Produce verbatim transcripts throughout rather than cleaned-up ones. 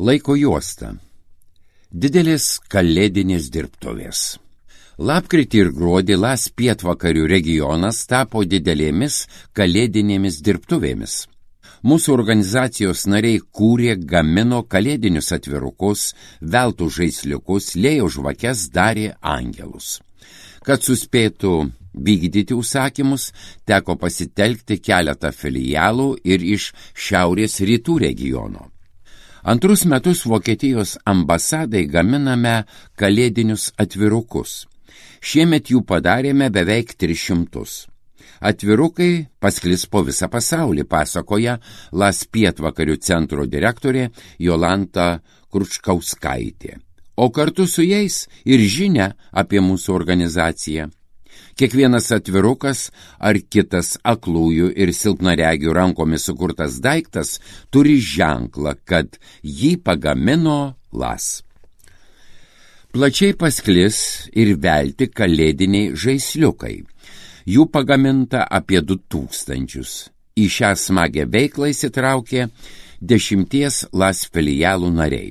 Laiko juosta. Didelės kalėdinės dirbtuvės. Lapkritį ir gruodį Las pietvakarių regionas tapo didelėmis kalėdinėmis dirbtuvėmis. Mūsų organizacijos nariai kūrė, gamino kalėdinius atvirukus, veltų žaisliukus, liejo žvakes, darė angelus. Kad suspėtų vykdyti užsakymus, teko pasitelkti keletą filialų ir iš šiaurės rytų regiono. Antrus metus Vokietijos ambasadai gaminame kalėdinius atvirukus. Šiemet jų padarėme beveik tris šimtus. Atvirukai pasklis po visą pasaulį, pasakoja Las pietvakarių centro direktorė Jolanta Kručkauskaitė. O kartu su jais ir žinia apie mūsų organizaciją. Kiekvienas atvirukas ar kitas aklųjų ir silpnaregių rankomis sukurtas daiktas turi ženklą, kad jį pagamino Las. Plačiai pasklis ir velti kalėdiniai žaisliukai. Jų pagaminta apie du tūkstančius. Į šią smagę veiklą įsitraukė dešimties Las filialų nariai.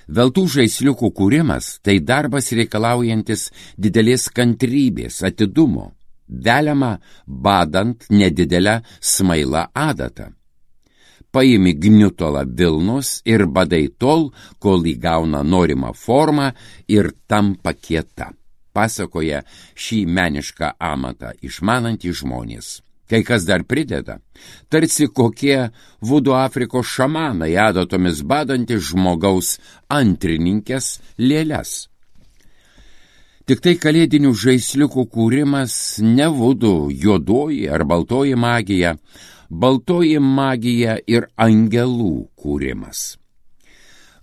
Veltų žaisliukų kūrimas – tai darbas reikalaujantis didelės kantrybės, atidumo, veliama badant nedidelę smailą adatą. Paimi gniutolą vilnos ir badai tol, kol įgauna norimą formą ir tampa kieta, pasakoja šį menišką amatą išmanantys žmonės. Kai kas dar prideda, tarsi kokie vudu Afrikos šamanai adatomis badantys žmogaus antrininkės lėles. Tik tai kalėdinių žaisliukų kūrimas ne vudu, juodoji ar baltoji magija, baltoji magija ir angelų kūrimas.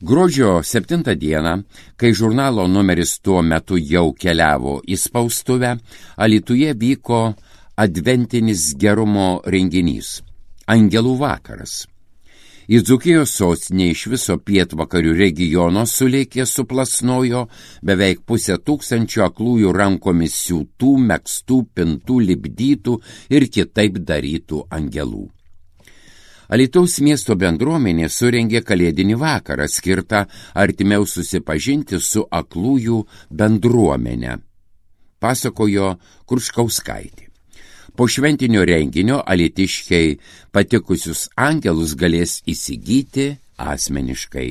Gruodžio septintą dieną, kai žurnalo numeris tuo metu jau keliavo į spaustuvę, Alytuje vyko adventinis gerumo renginys – Angelų vakaras. Į Dzūkijos sostinę iš viso pietvakarių regiono sulėkė suplasnojo beveik pusę tūkstančio aklųjų rankomis siūtų, megztų, pintų, lipdytų ir kitaip darytų angelų. Alytaus miesto bendruomenė surengė kalėdinį vakarą skirtą artimiau susipažinti su aklųjų bendruomenė, pasakojo Kručkauskaitė. Po šventinio renginio alytiškiai patikusius angelus galės įsigyti asmeniškai.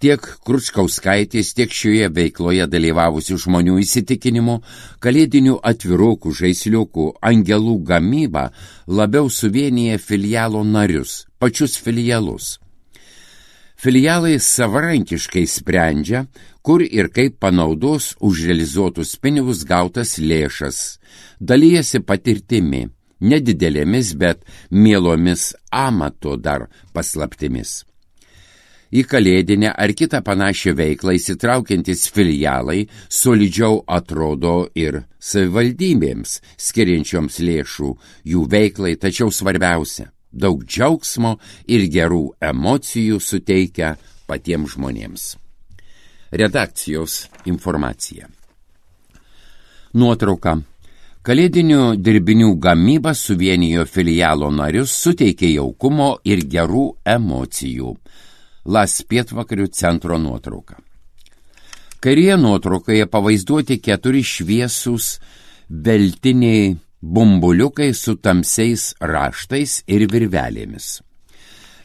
Tiek Kručkauskaitės, tiek šioje veikloje dalyvavusių žmonių įsitikinimu, kalėdinių atvirukų, žaisliukų, angelų gamyba labiau suvienyje filialo narius, pačius filialus. Filialai savarankiškai sprendžia, kur ir kaip panaudos už realizuotus pinigus gautas lėšas, dalyjasi patirtimi, nedidelėmis, bet mielomis amato dar paslaptimis. Į kalėdinę ar kitą panašią veiklą įsitraukiantis filialai solidžiau atrodo ir savivaldybėms, skiriančioms lėšų jų veiklai, tačiau svarbiausia, daug džiaugsmo ir gerų emocijų suteikia patiems žmonėms. Redakcijos informacija. Nuotrauka. Kalėdinių dirbinių gamyba suvienijo filialo narius, suteikė jaukumo ir gerų emocijų. Las pietvakarių centro nuotrauka. Kairėje nuotraukoje pavaizduoti keturi šviesūs veltiniai bumbuliukai su tamsiais raštais ir virvelėmis.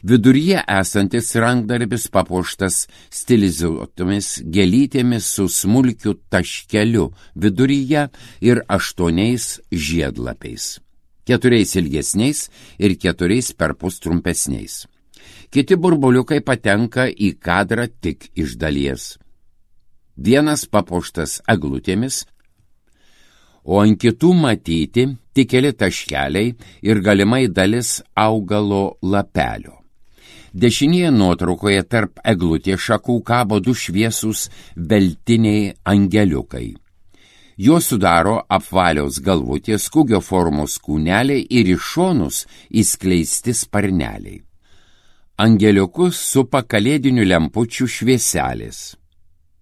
Viduryje esantis rankdarbis papuoštas stilizuotomis gėlytėmis su smulkiu taškeliu viduryje ir aštuoniais žiedlapiais, keturiais ilgesniais ir keturiais perpus trumpesniais. Kiti burbuliukai patenka į kadrą tik iš dalies. Vienas papuoštas eglutėmis, o ant kitų matyti tik keli taškeliai ir galimai dalis augalo lapelio. Dešinėje nuotraukoje tarp eglutės šakų kabo du šviesūs veltiniai angeliukai. Juos sudaro apvalios galvutės, kūgio formos kūneliai ir iš šonus įskleisti sparneliai. Angeliukus supa kalėdinių lempučių švieselės.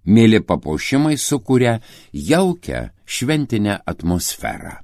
Mėly papuošimai sukuria jaukią šventinę atmosferą.